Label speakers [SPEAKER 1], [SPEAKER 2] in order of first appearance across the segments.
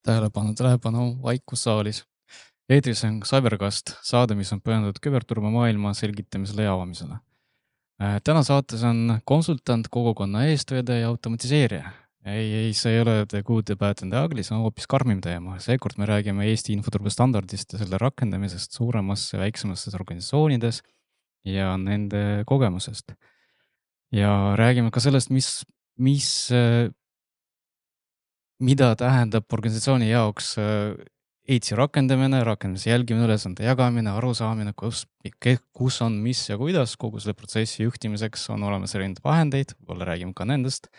[SPEAKER 1] Tähelepanu, vaikus saalis. Eetris on Cybercast, saade, mis on pühendatud küberturvamaailma selgitamisele ja avamisele. Täna saates on konsultant, kogukonna eestvedaja ja automatiseerija. Ei, see ei ole The Good, The Bad and The Ugly, see on hoopis karmim teema. Seekord me räägime Eesti infoturbestandardist ja selle rakendamisest suuremas ja väiksemastes organisatsioonides ja nende kogemusest. Ja räägime ka sellest, mida tähendab organisatsiooni jaoks EITS-i rakendamine, rakendamise jälgimine, ülesande jagamine, arusaamine, kus on, mis ja kuidas kogu selle protsessi juhtimiseks on olemas erinevaid vahendeid, võib-olla räägime ka nendest.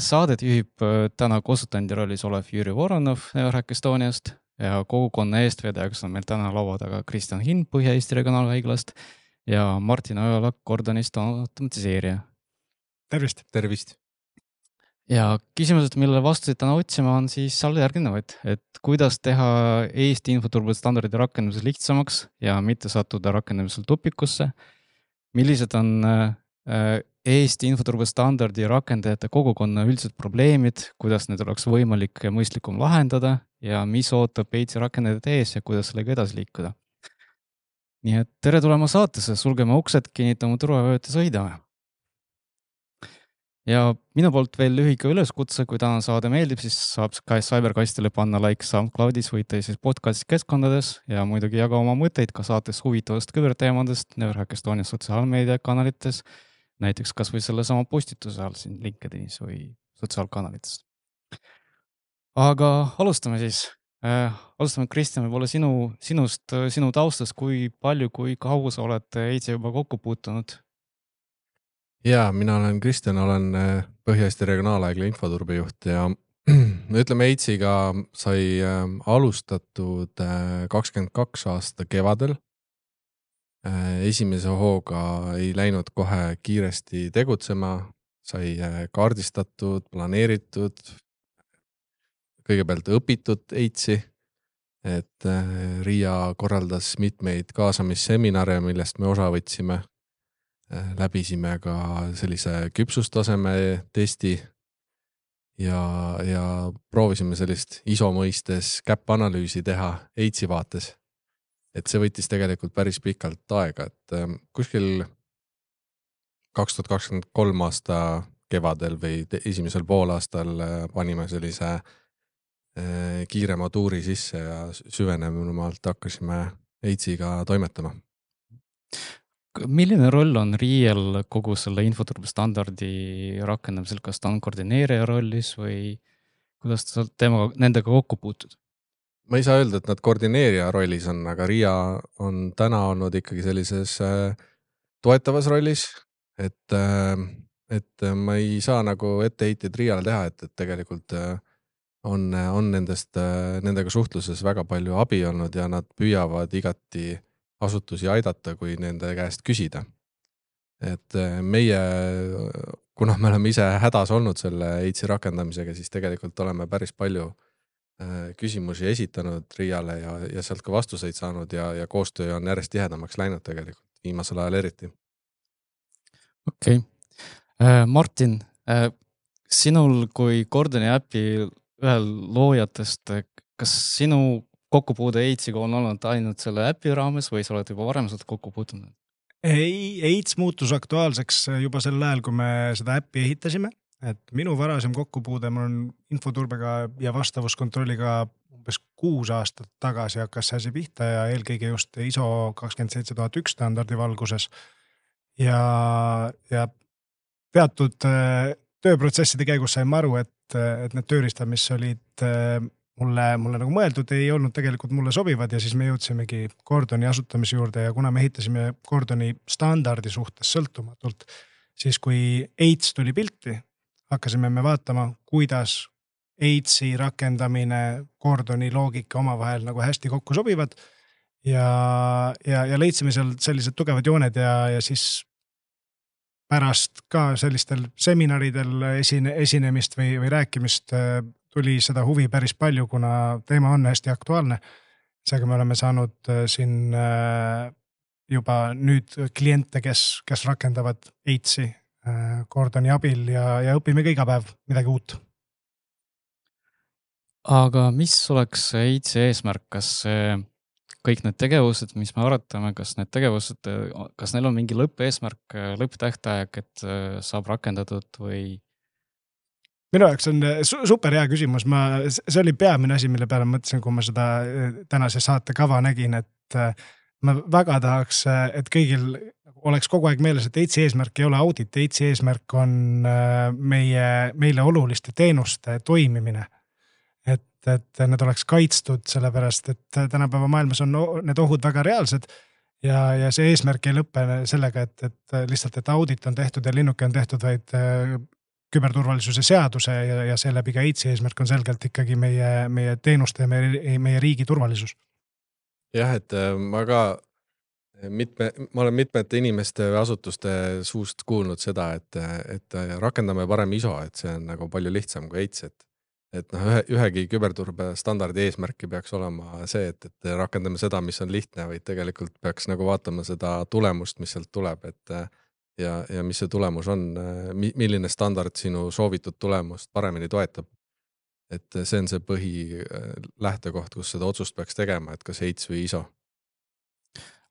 [SPEAKER 1] Saadet juhib täna konsultandi rollis olev Jüri Voronov Neurhack Estoniast ja kogukonna eestvedajaks on meil täna laua taga Kristjan Hind Põhja-Eesti Regionaalhaiglast ja Martin Ojala Gordonist automatiseerija.
[SPEAKER 2] Tervist!
[SPEAKER 3] Tervist!
[SPEAKER 1] Ja küsimused, millele vastuseid täna otsima on siis järgnevaid, et kuidas teha Eesti infoturbestandardide rakendamises lihtsamaks ja mitte sattuda rakendamisel tupikusse. Millised on Eesti infoturbestandardi rakendajate kogukonna üldised probleemid, kuidas need oleks võimalik ja mõistlikum lahendada ja mis ootab EITS-i rakendajad ees ja kuidas sellega edasi liikuda. Nii et tere tulema saatesse, sulgeme uksed, kinnitame turvavööd ja sõidame. Ja minu poolt veel lühike üleskutse, kui täna saade meeldib, siis saab Cybercastile panna like SoundCloudis või teises podcast keskkondades ja muidugi jaga oma mõtteid ka saates huvitavast küberteemadest Neurhack Estonia sotsiaalmeediakanalites, näiteks kas või selle sama postituse all siin LinkedInis või sotsiaalkanalites. Aga alustame siis. Alustame Kristjan, võib-olla sinu taustast, kui palju, kui kaua sa oled EITS-i juba kokku puutunud?
[SPEAKER 3] Ja, mina olen Kristjan, olen Põhja-Eesti Regionaalhaigla infoturbejuht ja ütleme EITS-iga sai alustatud 22 aasta kevadel. Esimese hooga ei läinud kohe kiiresti tegutsema, sai kaardistatud, planeeritud, kõigepealt õpitud EITS-i, et RIA korraldas mitmeid kaasamisseminare, millest me osa võtsime. Läbisime ka sellise küpsustaseme testi ja proovisime sellist ISO mõistes käpp-analüüsi teha EITS-i vaates. Et see võttis tegelikult päris pikalt aega, et kuskil 2023 aasta kevadel või esimesel poolaastal panime sellise kiirema tuuri sisse ja süvenemalt hakkasime EITS-iga toimetama.
[SPEAKER 1] Milline roll on RIA-l kogu selle infoturbestandardi rakendamisel, kas ta on koordineerija rollis või kuidas ta nendega kokku puutud?
[SPEAKER 3] Ma ei saa öelda, et nad koordineerija rollis on, aga RIA on täna olnud ikkagi sellises toetavas rollis, et ma ei saa nagu etteheited RIA-le teha, et tegelikult on nendega suhtluses väga palju abi olnud ja nad püüavad igati asutusi aidata, kui nende käest küsida. Et meie, kuna me oleme ise hädas olnud selle EITS-i rakendamisega, siis tegelikult oleme päris palju küsimusi esitanud RIA-le ja sealt ka vastuseid saanud ja koostöö on järjest tihedamaks läinud tegelikult, viimasel ajal eriti.
[SPEAKER 1] Okei. Martin, sinul kui Gordoni äpi ühel loojatest, kas sinu kokkupuude EITS-iga on olnud ainult selle äpi raames või sa oled juba varem seda kokku puutunud?
[SPEAKER 2] Ei, EITS muutus aktuaalseks juba sel ajal, kui me seda äppi ehitasime. Et minu varasem kokkupuude mul on infoturbega ja vastavuskontrolliga umbes 6 aastat tagasi hakkas see asi pihta ja eelkõige just ISO 27001 standardi valguses. Ja teatud tööprotsesside käigus sain aru, et need tööriistad, mis olid mulle nagu mõeldud, ei olnud tegelikult mulle sobivad ja siis me jõudsimegi Gordoni asutamise juurde ja kuna me ehitasime Gordoni standardi suhtes sõltumatult, siis kui EITS tuli pilti, hakkasime me vaatama, kuidas EITS-i rakendamine, Gordoni loogika omavahel nagu hästi kokku sobivad ja leidsime seal sellised tugevad jooned ja siis pärast ka sellistel seminaridel esinemist või rääkimist tuli seda huvi päris palju, kuna teema on hästi aktuaalne. Seega me oleme saanud siin juba nüüd kliente, kes rakendavad EITS-i Gordoni abil ja õpime ka iga päev midagi uut.
[SPEAKER 1] aga mis oleks EITsi eesmärk, kas kõik need tegevused, mis me arutame, kas need tegevused, kas neil on mingi lõppeesmärk, lõpptähtaeg, et saab rakendatud või?
[SPEAKER 2] Minu jaoks on super hea küsimus, see oli peamine asi, mille peale mõtlesin, kui ma seda tänase saate kava nägin, et ma väga tahaks, et kõigil oleks kogu aeg meeles, et EITsi eesmärk ei ole audit, EITsi eesmärk on meile oluliste teenuste toimimine. Et need oleks kaitstud, sellepärast et tänapäeva maailmas on need ohud väga reaalsed ja see eesmärk ei lõppe sellega, et lihtsalt, et audit on tehtud ja linnuke on tehtud, vaid küberturvalisuse seaduse ja seeläbi ka EITsi eesmärk on selgelt ikkagi meie teenuste ja meie riigi turvalisus.
[SPEAKER 3] Jah, et ma olen mitmete inimeste või asutuste suust kuulnud seda, et rakendame parem ISO, et see on nagu palju lihtsam kui EITS, et ühegi küberturbe standardi eesmärki peaks olema see, et rakendame seda, mis on lihtne, vaid tegelikult peaks nagu vaatama seda tulemust, mis sealt tuleb, ja mis see tulemus on, milline standard sinu soovitud tulemust paremini toetab. Et see on see põhi lähtekoht, kus seda otsust peaks tegema, et kas EITS või ISO.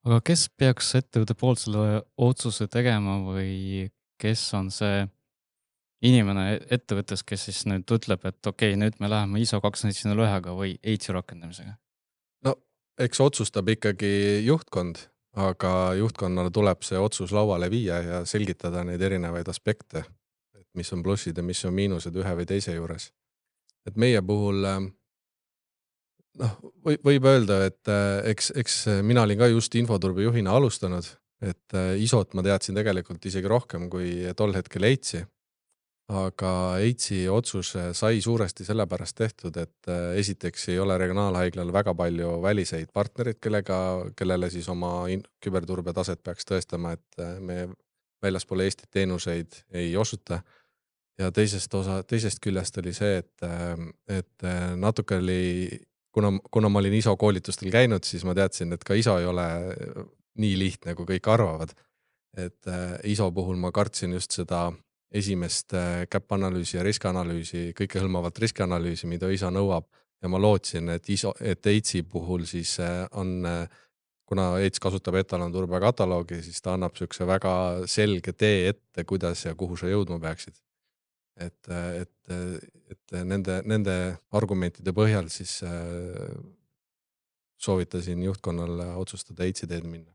[SPEAKER 1] Aga kes peaks ettevõtte poolt selle otsuse tegema või kes on see inimene ettevõttes, kes siis nüüd ütleb, et okei, nüüd me läheme ISO 27001-ga või EITS-i rakendamisega?
[SPEAKER 3] No, eks otsustab ikkagi juhtkond, aga juhtkonnale tuleb see otsus lauale viia ja selgitada neid erinevaid aspekte, et mis on plussid ja mis on miinused ühe või teise juures. Et meie puhul, võib öelda, et eks mina olin ka just infoturbe juhina alustanud, et ISO-t ma teadsin tegelikult isegi rohkem kui tol hetkel EITS-i. Aga EITS-i otsus sai suuresti sellepärast tehtud, et esiteks ei ole regionaalhaiglal väga palju väliseid partnerid, kellele siis oma küberturbe taset peaks tõestama, et me väljaspool Eestit teenuseid ei osuta. Ja teisest küljest oli see, et natuke oli, kuna ma olin ISO koolitustel käinud, siis ma teadsin, et ka ISO ei ole nii lihtne, kui kõik arvavad. Et ISO puhul ma kartsin just seda esimest käppanalüüsi ja riskianalüüsi, kõikehõlmavat riskianalüüsi, mida ISO nõuab, ja ma lootsin, et EITS-i puhul siis on, kuna EITS kasutab etalonturbe kataloogi, siis ta annab sükse väga selge tee ette, kuidas ja kuhu sa jõudma peaksid. Et nende argumentide põhjal siis soovitasin juhtkonnale otsustada EITS-i teed minna.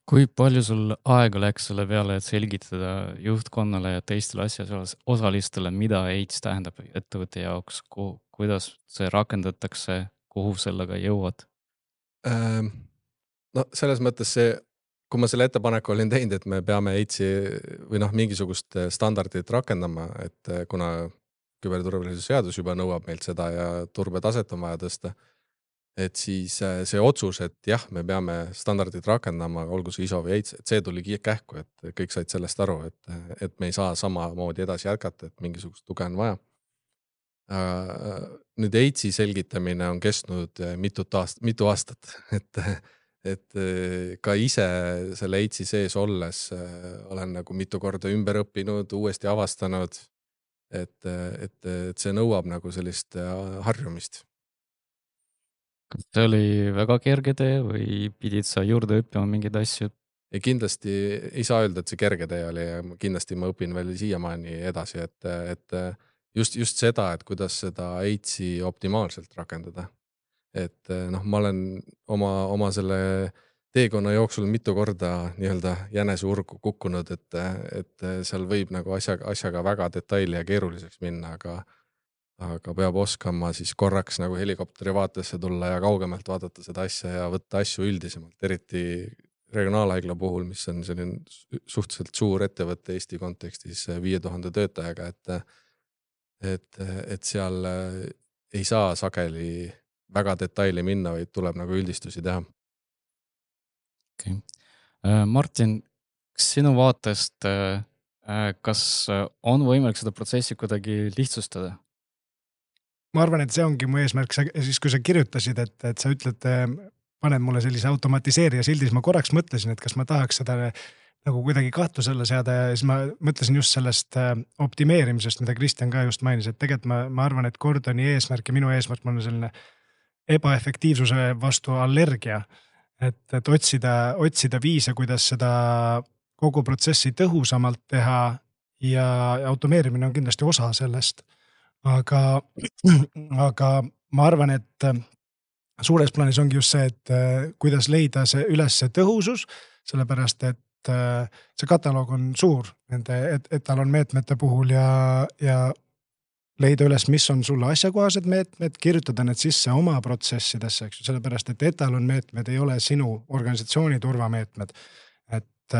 [SPEAKER 1] Kui palju sul aega läks selle peale, et selgitada juhtkonnale ja teistele asjaosalistele, mida EITS tähendab ettevõtte jaoks, kuidas see rakendatakse, kuhu sellega jõuad?
[SPEAKER 3] No selles mõttes see, kui ma selle ettepaneku olin teinud, et me peame EITS-i või mingisugust standardit rakendama, et kuna küberturvalisuse seadus juba nõuab meilt seda ja turbetaset on vaja tõsta, et siis see otsus, et jah, me peame standardid rakendama, olgu see ISO või EITS, et see tuli kähku, et kõik said sellest aru, et me ei saa samamoodi edasi jätkata, et mingisugust tuge on vaja. Nüüd EITS-i selgitamine on kestnud mitu aastat, et ka ise selle EITS-i sees olles olen nagu mitu korda ümber õppinud, uuesti avastanud, et see nõuab nagu sellist harjumist.
[SPEAKER 1] Kas see oli väga kerge tee või pidid sa juurde õppima mingeid asju?
[SPEAKER 3] Ja kindlasti ei saa öelda, et see kerge tee oli ja kindlasti ma õpin veel siiamaani edasi, et just seda, et kuidas seda EITS-i optimaalselt rakendada. Et ma olen oma selle teekonna jooksul mitu korda nii-öelda jäneseurgu kukkunud, et seal võib nagu asjaga väga detaili ja keeruliseks minna, aga peab oskama siis korraks nagu helikopteri vaatesse tulla ja kaugemalt vaadata seda asja ja võtta asju üldisemalt, eriti regionaalhaigla puhul, mis on selline suhteliselt suur ettevõtte Eesti kontekstis 5000 töötajaga, et seal ei saa sageli väga detaili minna, vaid tuleb nagu üldistusi teha.
[SPEAKER 1] Okay. Martin, sinu vaatest, kas on võimalik seda protsessi kuidagi lihtsustada?
[SPEAKER 2] Ma arvan, et see ongi mu eesmärk, siis kui sa kirjutasid, et sa ütled, paned mulle sellise automatiseerija sildi, siis ma korraks mõtlesin, et kas ma tahaks seda nagu kuidagi kahtluse alla seada ja siis ma mõtlesin just sellest optimeerimisest, mida Kristjan ka just mainis, et tegelikult ma arvan, et Gordoni eesmärk ja minu eesmärk on selline ebaefektiivsuse vastu allergia. Et otsida viise, kuidas seda kogu protsessi tõhusamalt teha ja automeerimine on kindlasti osa sellest. Aga ma arvan, et suures plaanis ongi just see, et kuidas leida see üles see tõhusus, sellepärast et see kataloog on suur nende etalonmeetmete puhul ja leida üles, mis on sulle asjakohased meetmed, kirjutada need sisse oma protsessidesse, eks ju, sellepärast et etalonmeetmed ei ole sinu organisatsiooni turvameetmed. Et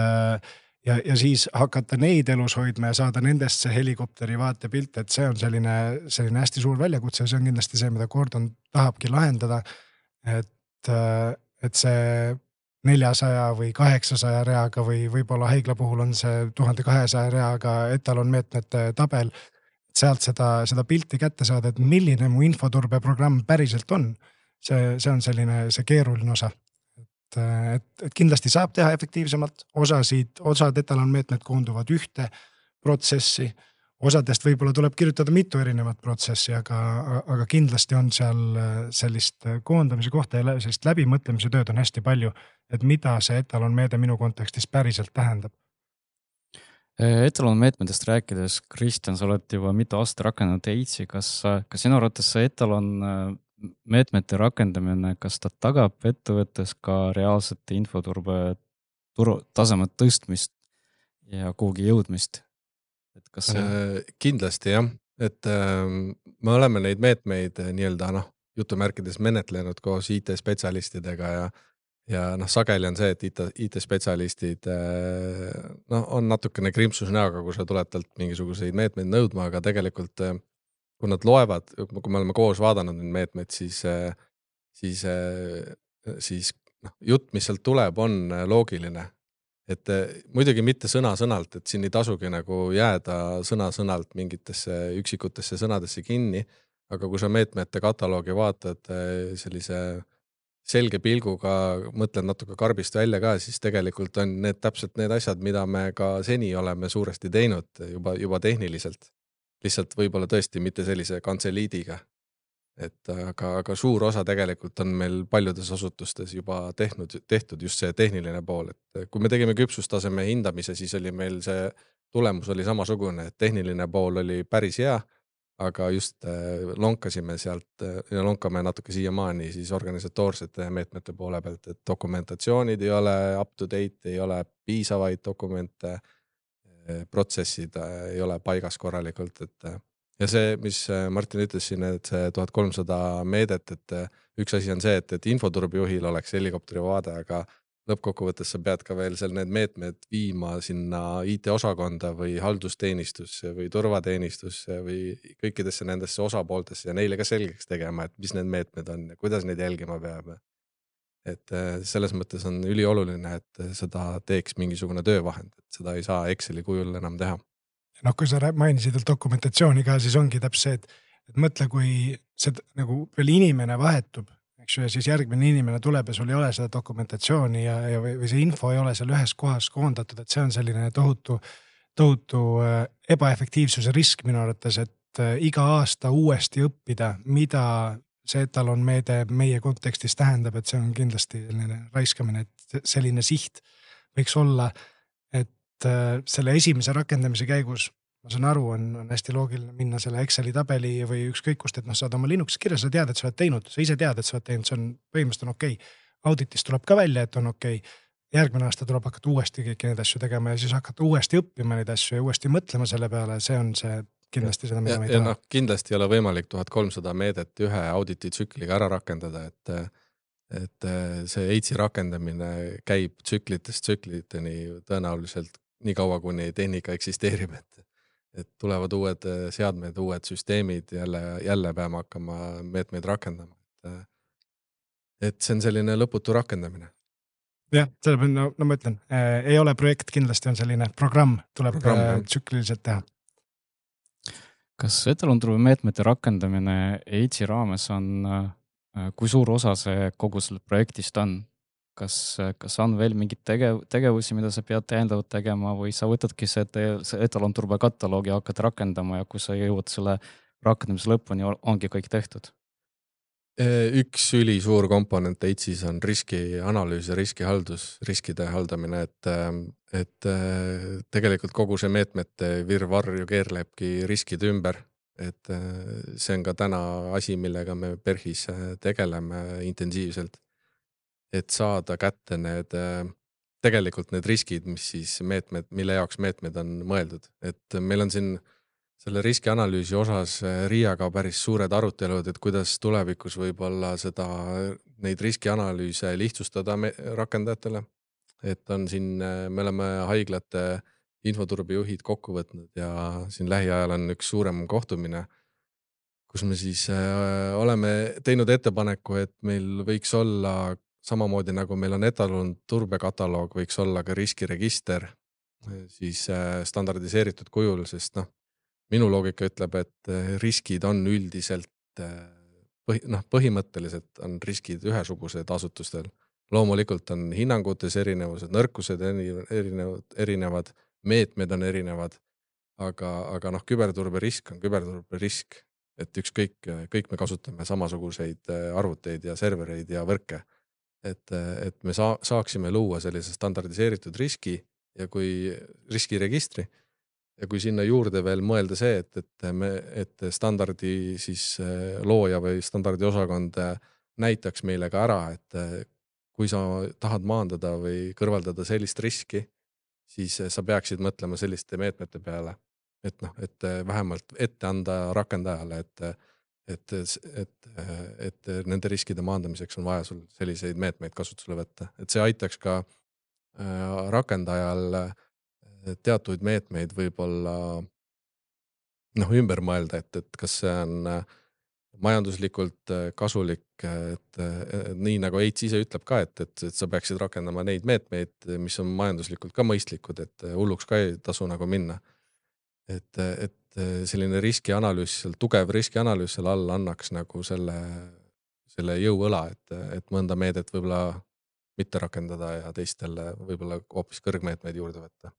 [SPEAKER 2] ja siis hakata neid elus hoidma ja saada nendest see helikopteri vaatepilt, et see on selline hästi suur väljakutse ja see on kindlasti see, mida Gordon tahabki lahendada. Et see 400 või 800 reaga või võib-olla haigla puhul on see 1200 reaga etalonmeetmete tabel, sealt seda pilti kätte saada, et milline mu infoturbeprogramm päriselt on. See on selline see keeruline osa. Et kindlasti saab teha efektiivsemalt, osad etalonmeetmed koonduvad ühte protsessi, osadest võib-olla tuleb kirjutada mitu erinevat protsessi, aga kindlasti on seal sellist koondamise kohta ja sellist läbimõtlemise tööd on hästi palju, et mida see etalonmeede minu kontekstis päriselt tähendab.
[SPEAKER 1] Etalonmeetmetest rääkides, Kristjan, sa oled juba mitu aastat rakendanud EITS-i, kas sinu arvates see etalonmeetmete rakendamine, kas ta tagab ettevõttes ka reaalsete infoturbe tasemet tõstmist ja kuhugi jõudmist? Et kas see...
[SPEAKER 3] Kindlasti jah, et me oleme neid meetmeid nii-öelda jutumärkides menetlenud koos IT-spetsialistidega ja sageli on see, et IT-spetsialistid on natukene krimpsus näoga, kui sa tuled talt mingisuguseid meetmeid nõudma, aga tegelikult kui nad loevad, kui me oleme koos vaadanud neid meetmeid, siis jutt, mis sealt tuleb, on loogiline. Et muidugi mitte sõna-sõnalt, et siin ei tasugi nagu jääda sõna-sõnalt mingitesse üksikutesse sõnadesse kinni, aga kui sa meetmete kataloogi vaatad sellise selge pilguga, mõtled natuke karbist välja ka, siis tegelikult on need täpselt need asjad, mida me ka seni oleme suuresti teinud juba tehniliselt. Lihtsalt võib-olla tõesti mitte sellise kantseliidiga. Aga suur osa tegelikult on meil paljudes asutustes juba tehtud just see tehniline pool. Et kui me tegime küpsustaseme hindamise, siis oli meil see tulemus oli samasugune, et tehniline pool oli päris hea, aga just lonkasime sealt ja lonkame natuke siiamaani siis organisatoorsete meetmete poole pealt, et dokumentatsioonid ei ole up to date, ei ole piisavaid dokumente, protsessid ei ole paigas korralikult, ja see, mis Martin ütles siin, et see 1300 meedet, et üks asi on see, et infoturbejuhil oleks helikopteri vaade, aga lõppkokkuvõttes sa pead ka veel seal need meetmed viima sinna IT-osakonda või haldusteenistusse või turvateenistusse või kõikidesse nendesse osapooltesse ja neile ka selgeks tegema, et mis need meetmed on ja kuidas neid jälgima peab. Et selles mõttes on ülioluline, et seda teeks mingisugune töövahend, et seda ei saa Exceli kujul enam teha.
[SPEAKER 2] Kui sa mainisid dokumentatsiooni ka, siis ongi täpselt see, et mõtle, kui see nagu veel inimene vahetub, ja siis järgmine inimene tuleb ja sul ei ole seda dokumentatsiooni või see info ei ole seal ühes kohas koondatud, et see on selline tohutu ebaefektiivsuse risk minu arvates, et iga aasta uuesti õppida, mida see etalonmeede meie kontekstis tähendab, et see on kindlasti selline raiskamine, et selline siht võiks olla, et selle esimese rakendamise käigus ma saan aru, on hästi loogiline minna selle Exceli tabeli või ükskõik kust, et saad oma Linuxi kirja, sa tead, et sa oled teinud, sa ise tead, et sa oled teinud, see on põhimõtteliselt on okei. Auditist tuleb ka välja, et on okei. Järgmine aasta tuleb hakata uuesti kõiki neid asju tegema ja siis hakata uuesti õppima neid asju ja uuesti mõtlema selle peale, see on see kindlasti seda, mida me ei taha.
[SPEAKER 3] Kindlasti ei ole võimalik 1300 meedet ühe auditi tsükliga ära rakendada, et see EITS-i rakendamine käib tsükliteni tõenäoliselt nii kaua, kuni tehnika eksisteerib, et tulevad uued seadmed, uued süsteemid, jälle peame hakkama meetmeid rakendama. Et see on selline lõputu rakendamine.
[SPEAKER 2] Jah, sellepärast, ma ütlen, ei ole projekt, kindlasti on selline programm, tuleb tsükliliselt teha.
[SPEAKER 1] Kas etalonturbe meetmete rakendamine EITS-i raames on, kui suur osa see kogu selle projektist on? kas on veel mingid tegevusi, mida sa pead täiendavalt tegema või sa võtadki see etalonturbe kataloogi ja hakkad rakendama ja kui sa jõuad selle rakendamise lõpuni, ongi kõik tehtud?
[SPEAKER 3] Üks ülisuur komponent EITSis on riskianalüüs ja riskihaldus, riskide haldamine, et tegelikult kogu see meetmete virvarr ju keerlebki riskide ümber, et see on ka täna asi, millega me PERHis tegeleme intensiivselt, et saada kätte tegelikult need riskid, mis siis meetmed, mille jaoks meetmed on mõeldud, et meil on siin selle riskianalüüsi osas RIA-ga päris suured arutelud, et kuidas tulevikus võib-olla neid riskianalüüse lihtsustada rakendajatele. Et on siin, me oleme haiglate infoturbejuhid kokku võtnud ja siin lähiajal on üks suurem kohtumine, kus me siis oleme teinud ettepaneku, et meil võiks olla samamoodi nagu meil on etalon turbekataloog, võiks olla ka riskiregister siis standardiseeritud kujul, sest minu loogika ütleb, et riskid on üldiselt, põhimõtteliselt on riskid ühesugused asutustel. Loomulikult on hinnangutes erinevused, nõrkused erinevad, meetmed on erinevad, aga küberturbe risk on küberturbe risk, et kõik me kasutame samasuguseid arvuteid ja servereid ja võrke. Et me saaksime luua sellise standardiseeritud riski ja kui riskiregistri, ja kui sinna juurde veel mõelda see, et standardi siis looja või standardi osakond näitaks meile ka ära, et kui sa tahad maandada või kõrvaldada sellist riski, siis sa peaksid mõtlema selliste meetmete peale, et vähemalt ette anda rakendajale, et nende riskide maandamiseks on vaja sul selliseid meetmeid kasutusele võtta. Et see aitaks ka rakendajal teatuid meetmeid võib-olla ümber mõelda, et kas see on majanduslikult kasulik, et nii nagu EITS ise ütleb ka, et sa peaksid rakendama neid meetmeid, mis on majanduslikult ka mõistlikud, et hulluks ka ei tasu nagu minna. Et selline riskianalüüs, tugev riskianalüüs seal all annaks nagu selle jõuõla, et mõnda meedet võib-olla mitte rakendada ja teistele võib-olla hoopis kõrgmeetmeid juurde võtta.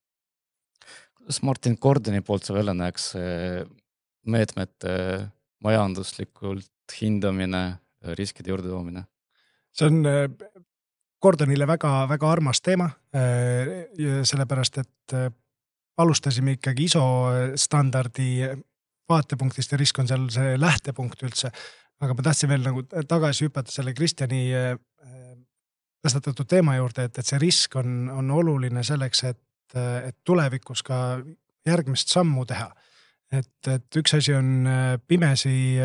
[SPEAKER 1] Kuidas Martin Gordoni poolt sa välja näeks meetmete majanduslikult hindamine, riskide juurde toomine?
[SPEAKER 2] See on Gordonile väga, väga armas teema, sellepärast, et alustasime ikkagi ISO standardi vaatepunktist ja risk on seal see lähtepunkt üldse. Aga ma tahtsin veel nagu tagasi hüpata selle Kristjani tõstatatud teema juurde, et see risk on oluline selleks, et tulevikus ka järgmist sammu teha. Et üks asi on pimesi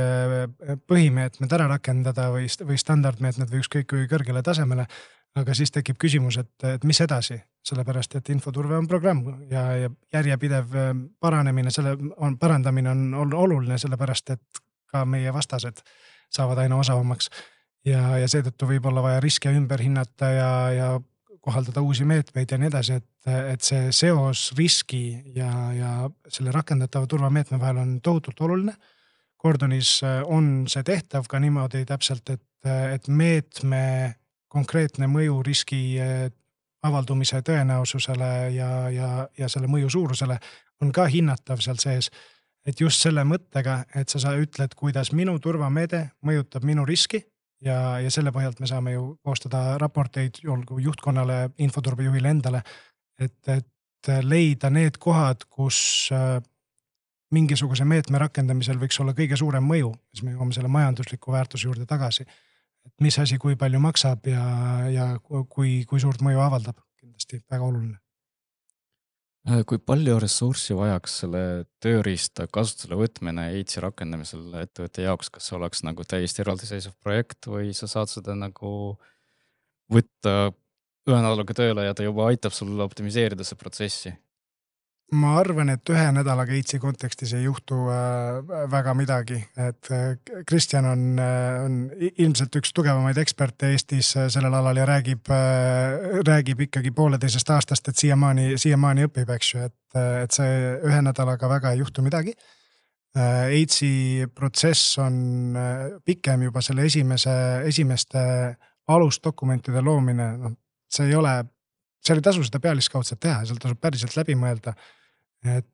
[SPEAKER 2] põhimeetmed ära rakendada või standardmeetmed või ükskõik kui kõrgele tasemele, aga siis tekib küsimus, et mis edasi, sellepärast et infoturve on programm ja järjepidev parandamine on oluline, sellepärast et ka meie vastased saavad aina osavamaks ja seetõttu võib olla vaja riske ümber hinnata ja kohaldada uusi meetmeid ja nii edasi, et see seos riski ja selle rakendatava turvameetme vahel on tohutult oluline. Gordonis on see tehtav ka niimoodi täpselt, et meetme konkreetne mõju riski avaldumise tõenäosusele ja selle mõju suurusele on ka hinnatav seal sees. Et just selle mõttega, et sa ütled, kuidas minu turvameede mõjutab minu riski ja selle põhjalt me saame ju koostada raporteid juhtkonnale, infoturbejuhile endale, et leida need kohad, kus mingisuguse meetme rakendamisel võiks olla kõige suurem mõju, siis me jõuame selle majandusliku väärtuse juurde tagasi. Et mis asi kui palju maksab ja kui suurt mõju avaldab, kindlasti väga oluline.
[SPEAKER 1] Kui palju ressurssi vajaks selle tööriista kasutusele võtmine EITSi rakendamisel ettevõtte jaoks, kas see oleks nagu täiesti eraldiseisev projekt või sa saad seda nagu võtta ühe nädalaga tööle ja ta juba aitab sul optimiseerida see protsessi?
[SPEAKER 2] Ma arvan, et ühe nädalaga EITSi kontekstis ei juhtu väga midagi, et Kristjan on ilmselt üks tugevamaid eksperte Eestis sellel alal ja räägib ikkagi 1,5 aastast, et siiamaani õpib, eks ju, et see ühe nädalaga väga ei juhtu midagi. EITSi protsess on pikem juba selle esimeste alusdokumentide loomine, see ei ole, seal ei tasu seda pealiskaudselt teha, seal tasub päriselt läbi mõelda, et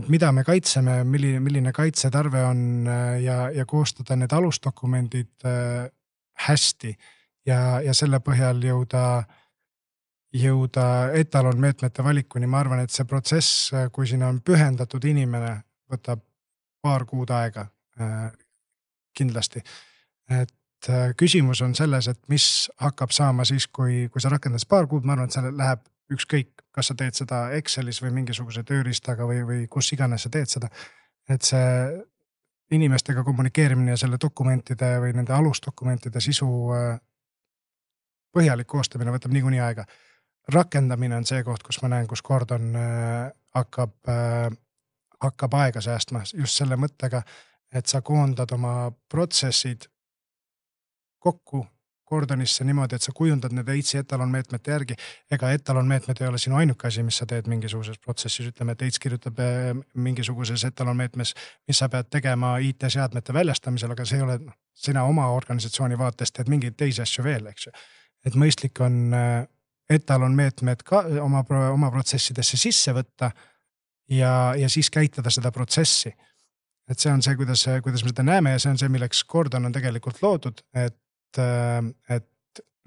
[SPEAKER 2] mida me kaitseme, milline kaitsetarve on ja koostada need alusdokumendid hästi ja selle põhjal jõuda etalonmeetmete valikuni. Ma arvan, et see protsess, kui siin on pühendatud inimene, võtab paar kuud aega kindlasti. Et küsimus on selles, et mis hakkab saama siis, kui sa rakendad paar kuud, ma arvan, et seal läheb ükskõik, kas sa teed seda Excelis või mingisuguse tööriistaga või kus iganes sa teed seda. Et see inimestega kommunikeerimine ja selle dokumentide või nende alusdokumentide sisu põhjalik koostamine võtab niikuinii aega. Rakendamine on see koht, kus ma näen, kus Gordon hakkab aega säästma just selle mõttega, et sa koondad oma protsessid kokku Gordonisse niimoodi, et sa kujundad need EITS-i etalonmeetmete järgi. Ega etalonmeetmed ei ole sinu ainuke asi, mis sa teed mingisuguses protsessis. Ütleme, et EITS kirjutab mingisuguses etalonmeetmes, mis sa pead tegema IT-seadmete väljastamisel, aga see ei ole, sina oma organisatsiooni vaatest teed mingeid teisi asju veel, eks ju. Et mõistlik on etalonmeetmed ka oma protsessidesse sisse võtta ja siis käitada seda protsessi. Et see on see, kuidas me seda näeme ja see on see, milleks Gordon on tegelikult loodud, et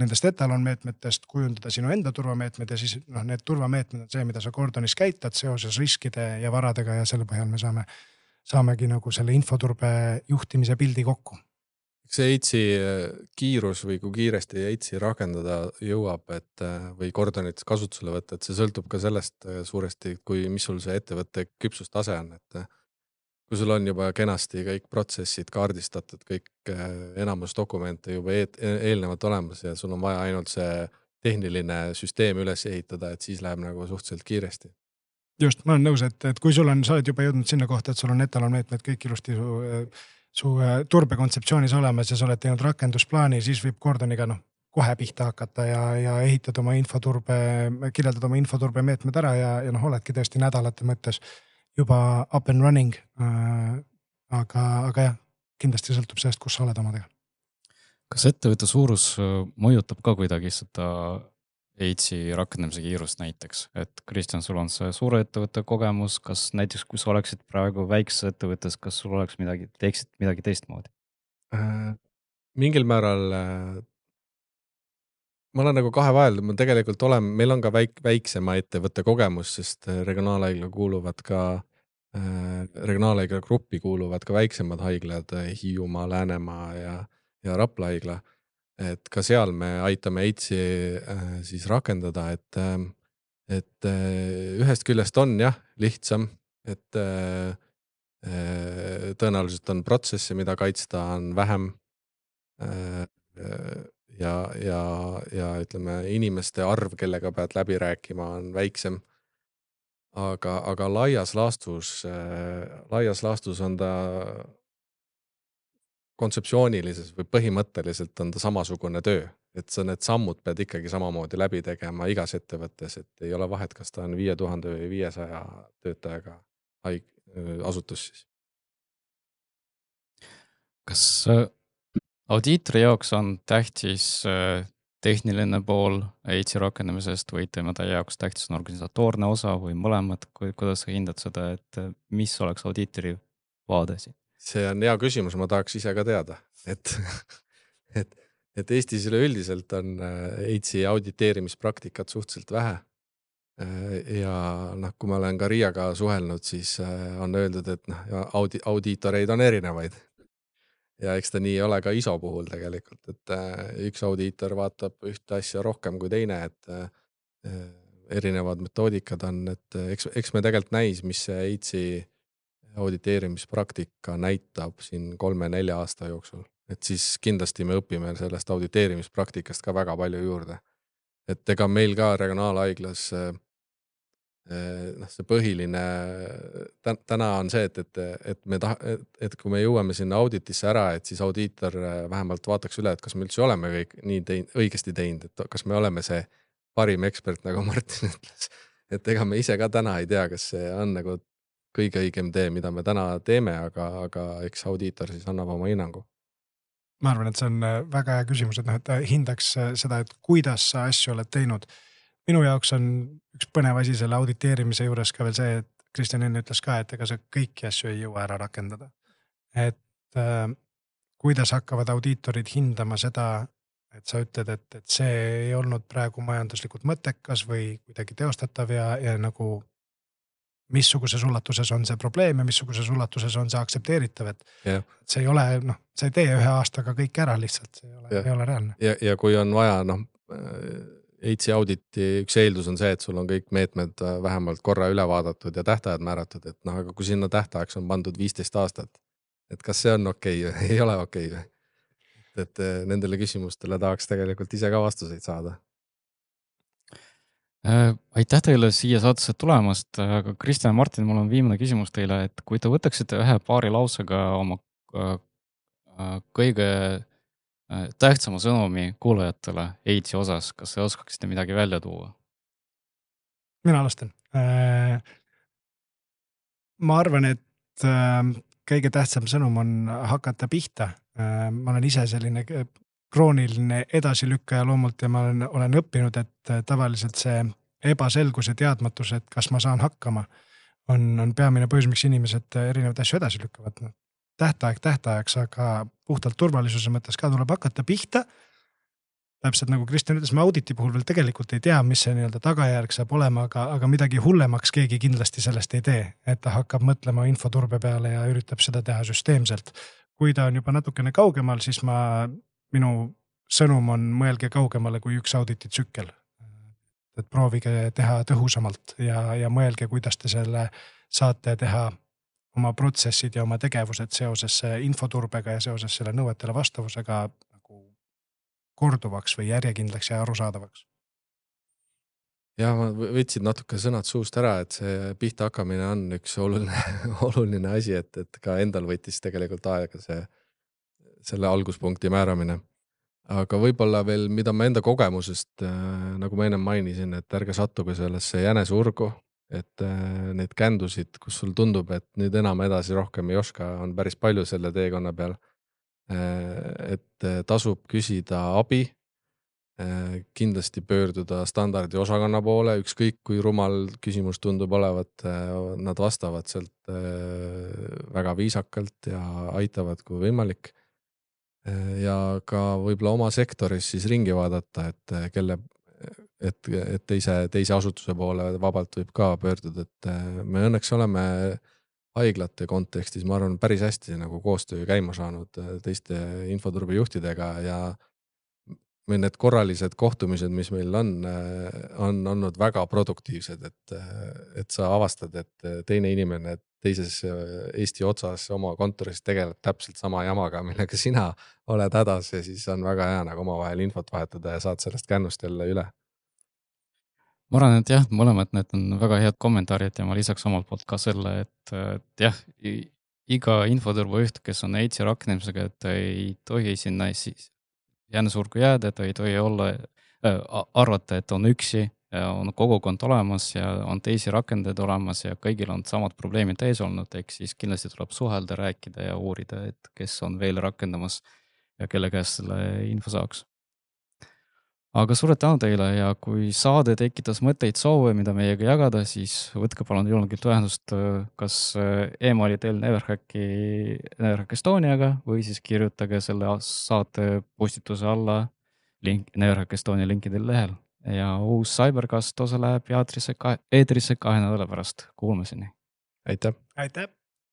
[SPEAKER 2] nendest etalonmeetmetest kujundada sinu enda turvameetmed ja siis need turvameetmed on see, mida sa Gordonis käitad seoses riskide ja varadega ja selle põhjal me saamegi nagu selle infoturbe juhtimise pildi kokku.
[SPEAKER 3] See EITS-i kiirus või kui kiiresti EITS-i rakendada jõuab, või Gordonit kasutusele võtta, et see sõltub ka sellest suuresti, mis sul see ettevõtte küpsustase on, et kui sul on juba kenasti kõik protsessid kaardistatud, kõik enamus dokumente juba eelnevalt olemas ja sul on vaja ainult see tehniline süsteem üles ehitada, et siis läheb nagu suhteliselt kiiresti.
[SPEAKER 2] Just, ma olen nõus, et kui sa oled juba jõudnud sinna kohta, et sul on etalonmeetmed kõik ilusti su turbekontseptsioonis olemas ja sa oled teinud rakendusplaani, siis võib Gordoniga kohe pihta hakata ja ehitada oma kirjeldada oma infoturbe meetmed ära ja oledki tõesti nädalate mõttes juba up and running, aga jah, kindlasti sõltub sellest, kus sa oled omadega.
[SPEAKER 1] Kas ettevõtte suurus mõjutab ka kuidagi seda EITS-i rakendamise kiirust näiteks? Et Kristjan, sul on see suure ettevõtte kogemus, kas näiteks kui sa oleksid praegu väikses ettevõttes, kas sul oleks teeksid midagi teistmoodi?
[SPEAKER 3] Mingil määral ma olen nagu kahe vahel, meil on ka väiksema ettevõtte kogemus, sest regionaalhaigla gruppi kuuluvad ka väiksemad haiglad, Hiiumaa, Läänemaa ja Rapla haigla. Et ka seal me aitame EITS-i siis rakendada, et ühest küljest on lihtsam, et tõenäoliselt on protsesse, mida kaitsta on vähem ja ütleme, inimeste arv, kellega pead läbi rääkima, on väiksem. Aga laias laastus on ta kontseptsioonilises või põhimõtteliselt on ta samasugune töö, et sa need sammud pead ikkagi samamoodi läbi tegema igas ettevõttes, et ei ole vahet, kas ta on 5000 või 500 töötajaga asutus siis.
[SPEAKER 1] Kas audiitori jaoks on tähtis tehniline pool EITS-i rakendamisest või tema jaoks tähtis on organisatoorne osa või mõlemad, kuidas sa hindad seda, et mis oleks audiitori vaade siin?
[SPEAKER 3] See on hea küsimus, ma tahaks ise ka teada, et Eestis üleüldiselt on EITS-i auditeerimispraktikat suhteliselt vähe. Ja kui ma olen ka Riiaga suhelnud, siis on öeldud, et audiitoreid on erinevaid. Ja eks ta nii ole ka ISO puhul tegelikult, et üks audiitor vaatab ühte asja rohkem kui teine, et erinevad metoodikad on, et eks me tegelikult näis, mis see EITS-i auditeerimispraktika näitab siin 3-4 aasta jooksul. Et siis kindlasti me õpime sellest auditeerimispraktikast ka väga palju juurde. Et ega meil ka regionaalhaiglas see põhiline täna on see, et kui me jõuame sinna auditisse ära, et siis audiitor vähemalt vaataks üle, et kas me üldse oleme kõik nii õigesti teinud, et kas me oleme see parim ekspert, nagu Martin ütles. Et ega me ise ka täna ei tea, kas see on nagu kõige õigem tee, mida me täna teeme, aga eks audiitor siis annab oma hinnangu.
[SPEAKER 2] ma arvan, et see on väga hea küsimus, et noh, et ta hindaks seda, et kuidas sa asju oled teinud. Minu jaoks on üks põnev asi selle auditeerimise juures ka veel see, et Kristjan enne ütles ka, et ega sa kõiki asju ei jõua ära rakendada. Et kuidas hakkavad audiitorid hindama seda, et sa ütled, et see ei olnud praegu majanduslikult mõttekas või kuidagi teostatav ja nagu missuguses ulatuses on see probleem ja missuguses ulatuses on see aktsepteeritav, et see ei ole, noh, sa ei tee ühe aastaga kõik ära lihtsalt, see ei ole reaalne.
[SPEAKER 3] Ja kui on vaja, noh, EITS-i auditi üks eeldus on see, et sul on kõik meetmed vähemalt korra üle vaadatud ja tähtajad määratud, et noh, aga kui sinna tähtajaks on pandud 15 aastat, et kas see on okei või ei ole okei või? Et nendele küsimustele tahaks tegelikult ise ka vastuseid saada.
[SPEAKER 1] Aitäh teile siia saatesse tulemast, aga Kristjan ja Martin, mul on viimane küsimus teile, et kui te võtaksite ühe paari lausega oma kõige tähtsama sõnumi kuulajatele EITS-i osas, kas te oskaksite midagi välja tuua?
[SPEAKER 2] Mina alustan. Ma arvan, et kõige tähtsam sõnum on hakata pihta. Ma olen ise selline krooniline edasilükkaja loomult ja ma olen õppinud, et tavaliselt see ebaselgus ja teadmatus, et kas ma saan hakkama, on peamine põhjus, miks inimesed erinevad asju edasi lükkavad. Tähtajaks, aga puhtalt turvalisuse mõttes ka tuleb hakata pihta. Täpselt nagu Kristjan ütles, me auditi puhul veel tegelikult ei tea, mis see nii-öelda tagajärg saab olema, aga midagi hullemaks keegi kindlasti sellest ei tee, et ta hakkab mõtlema infoturbe peale ja üritab seda teha süsteemselt. Kui ta on juba natukene kaugemal, siis minu sõnum on mõelge kaugemale kui üks audititsükkel. Et proovige teha tõhusamalt ja mõelge, kuidas te selle saate teha oma protsessid ja oma tegevused seoses infoturbega ja seoses selle nõuetele vastavusega nagu korduvaks või järjekindlaks ja arusaadavaks.
[SPEAKER 3] Ja ma võtsin natuke sõnad suust ära, et see pihta hakkamine on üks oluline asi, et ka endal võttis tegelikult aega selle alguspunkti määramine. Aga võib-olla veel, mida ma enda kogemusest, nagu ma ennem mainisin, et ärge sattuge sellesse jänesurgu, et neid kändusid, kus sul tundub, et nüüd enam edasi rohkem ei oska, on päris palju selle teekonna peal. Et tasub küsida abi, kindlasti pöörduda standardi osakonna poole, ükskõik kui rumal küsimus tundub olevat, nad vastavad sealt väga viisakalt ja aitavad kui võimalik. Ja ka võib-olla oma sektoris siis ringi vaadata, et teise asutuse poole vabalt võib ka pöörduda, et me õnneks oleme haiglate kontekstis, ma arvan, päris hästi nagu koostöö käima saanud teiste infoturbe juhtidega ja need korralised kohtumised, mis meil on olnud väga produktiivsed, et sa avastad, et teine inimene teises Eesti otsas oma kontoris tegeleb täpselt sama jamaga, millega sina oled hädas ja siis on väga hea nagu omavahel infot vahetada ja saad sellest kännust jälle üle.
[SPEAKER 1] Ma arvan, et jah, mõlemad need on väga head kommentaarid ja ma lisaks omalt poolt ka selle, et jah, iga infoturbe juht, kes on EITS-i rakendamisega, et ei tohi sinna jänesurgu jääda, et ei tohi arvata, et on üksi, on kogukond olemas ja on teisi rakendajaid olemas ja kõigil on samad probleemid ees olnud, ehk siis kindlasti tuleb suhelda, rääkida ja uurida, et kes on veel rakendamas ja kelle käest selle info saaks. Aga suured tänu teile ja kui saade tekitas mõtteid soove, mida meiega jagada, siis võtke palun julgelt ühendust kas emaili-teel Neverhack Estoniaga või siis kirjutage selle saate postituse alla Neverhack Estonia linkidel lehel. Ja uus Cybercast osa läheb eetrisse 2 nädala pärast. Kuulmiseni.
[SPEAKER 3] Aitäh!
[SPEAKER 2] Aitäh!